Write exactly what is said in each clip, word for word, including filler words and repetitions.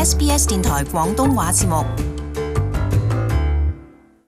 S B S 電台廣東話節目。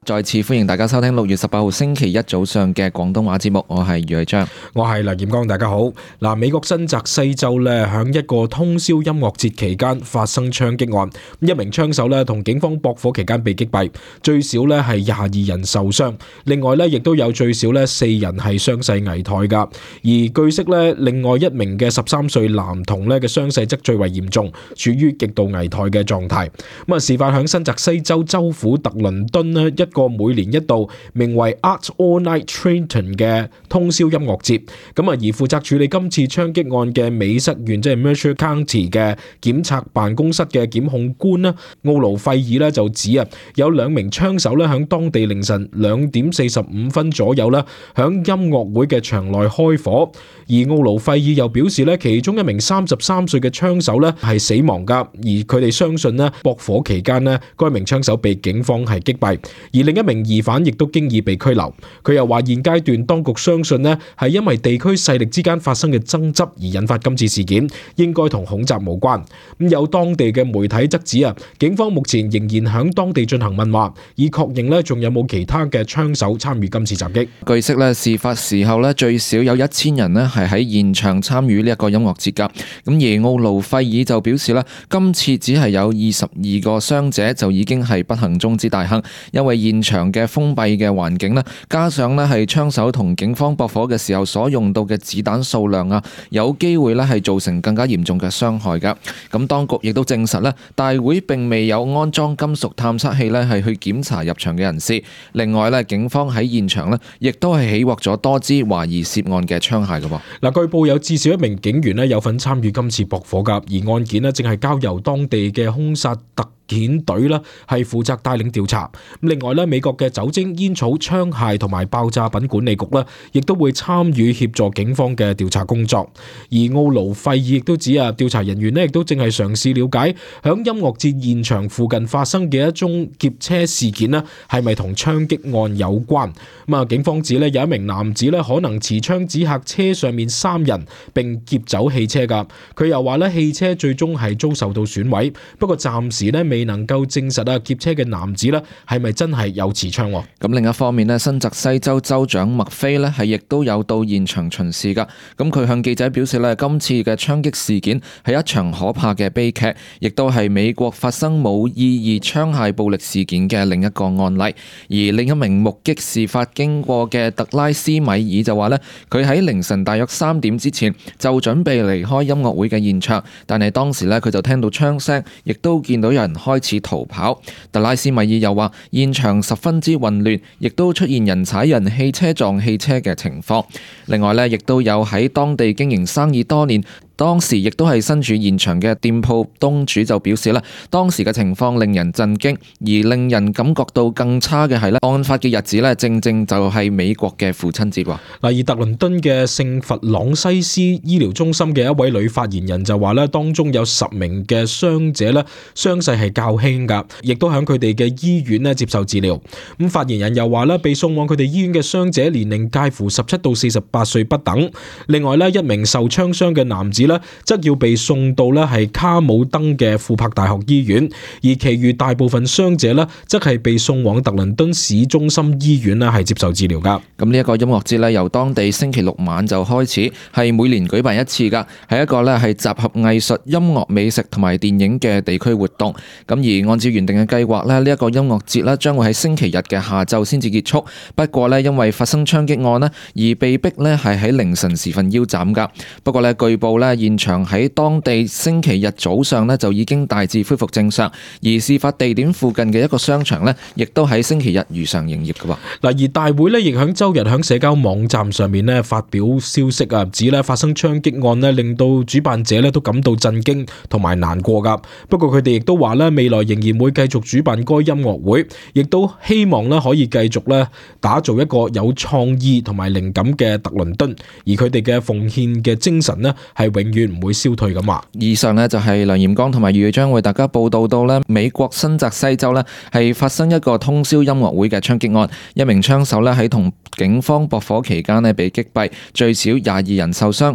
再次歡迎大家收聽六月十八號星期一早上嘅廣東話節目，我係余偉章，我係梁劍剛，大家好。嗱，美國新澤西州咧響一個通宵音樂節期間發生槍擊案，一名槍手咧同警方駁火期間被擊斃，最少咧係廿二人受傷，另外咧亦都有最少咧四人係傷勢危殆噶。而據悉咧，另外一名嘅十三歲男童咧嘅傷勢則最為嚴重，處於極度危殆嘅狀態。咁啊，事發響新澤西州州府特倫敦咧一個每年一度名為 Art All Night Trenton 嘅通宵音樂節，咁啊而負責處理今次槍擊案嘅美瑟縣即係 Mercer County 嘅檢察辦公室嘅檢控官啦，奧盧費爾咧就指啊，有兩名槍手咧響當地凌晨兩點四十五分左右啦，響音樂會嘅場內開火，而奧盧費爾又表示咧，其中一名三十三歲嘅槍手咧係死亡噶，而佢哋相信咧駁火期間咧，該名槍手被警方係擊斃，而另一名疑犯亦都經已被拘留。佢又話現階段當局相信呢係因為地區勢力之間發生嘅爭執而引發今次事件，應該同恐襲無關。咁有當地嘅媒體則指啊，警方目前仍然響當地進行問話，以確認呢仲有冇其他嘅槍手參與今次襲擊。據悉呢，事發時候呢最少有一千人呢係喺現場參與呢一個音樂節噶。咁而奧盧費爾就表示呢，今次只係有二十二個傷者就已經係不幸中之大幸，因為現場嘅封閉嘅環境咧，加上咧係槍手同警方駁火嘅時候所用到嘅子彈數量啊，有機會咧係造成更加嚴重嘅傷害噶。咁當局亦都證實咧，大會並未有安裝金屬探測器咧係去檢查入場嘅人士。另外咧，警方喺現場咧亦都係起獲咗多支懷疑涉案嘅槍械噶噃。嗱，據報有至少一名警員咧有份參與今次駁火噶，而案件咧正係交由當地嘅兇殺特遣隊啦，係負責帶領調查。另外咧，美國嘅酒精、煙草、槍械同埋爆炸品管理局咧，亦都會參與協助警方嘅調查工作。而奧盧費爾亦都指啊，調查人員咧亦都正係嘗試了解響音樂節現場附近發生嘅一宗劫車事件咧，係咪同槍擊案有關？咁啊，警方指咧有一名男子咧可能持槍指嚇車上面三人，並劫走汽車噶。佢又話咧，汽車最終係遭受到損毀，不過暫時咧未能夠證實啊劫車嘅男子咧係咪真係有持槍。咁另一方面咧，新澤西州州長麥菲咧係亦都有到現場巡視噶。咁佢向記者表示咧，今次嘅槍擊事件係一場可怕嘅悲劇，亦都係美國發生冇意義槍械暴力事件嘅另一個案例。而另一名目擊事發經過嘅特拉斯米爾就話咧，佢喺凌晨大約三點之前就準備離開音樂會嘅現場，但係當時咧佢就聽到槍聲，亦都見到有人開始逃跑。特拉斯米爾又話現場十分之混亂，亦都出現人踩人、汽車撞汽車嘅情況。另外咧，亦都有喺當地經營生意多年，當時亦都係身處現場嘅店鋪東主就表示啦，當時嘅情況令人震驚，而令人感覺到更差嘅係咧，案發嘅日子咧，正正就係美國嘅父親節。嗱，而特倫敦嘅聖弗朗西斯醫療中心嘅一位女發言人就話咧，當中有十名嘅傷者咧，傷勢係較輕噶，亦都喺佢哋嘅醫院咧接受治療。咁發言人又話咧，被送往佢哋醫院嘅傷者年齡介乎十七到四十八歲不等。另外咧，一名受槍傷嘅男子咧，則要被送到咧係卡姆登嘅庫珀大學醫院，而其餘大部分傷者咧，則係被送往特倫敦市中心醫院咧係接受治療噶。咁呢一個音樂節咧，由當地星期六晚就開始，係每年舉辦一次噶，係一個咧係集合藝術、音樂、美食同埋電影嘅地區活動。咁而按照原定嘅計劃咧，呢一個音樂節咧將會喺星期日嘅下晝先至結束。不過咧，因為發生槍擊案咧，而被逼咧係喺凌晨時分腰斬噶。不過咧，據報咧現場喺當地星期日早上咧就已經大致恢復正常，而事發地點附近嘅一個商場咧，亦都喺星期日如常營業嘅喎。嗱，而大會咧亦響周日響社交網站上面咧發表消息啊，指咧發生槍擊案咧令到主辦者咧都感到震驚同埋難過噶。不過佢哋亦都話咧未來仍然會繼續主辦該音樂會，亦都希望咧可以繼續咧打造一個有創意同埋靈感嘅特倫敦，而佢哋嘅奉獻嘅精神咧係永遠唔會消退咁話。以上呢就係梁炎剛同埋余將為大家報道到呢美國新澤西州呢係發生一個通宵音樂會嘅槍擊案，一名槍手呢喺同警方駁火期間呢被擊斃，最少廿二人受傷。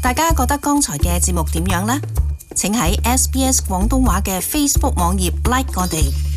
大家覺得剛才嘅節目點樣呢？請喺 S B S 廣東話嘅 Facebook 網頁 like 我哋。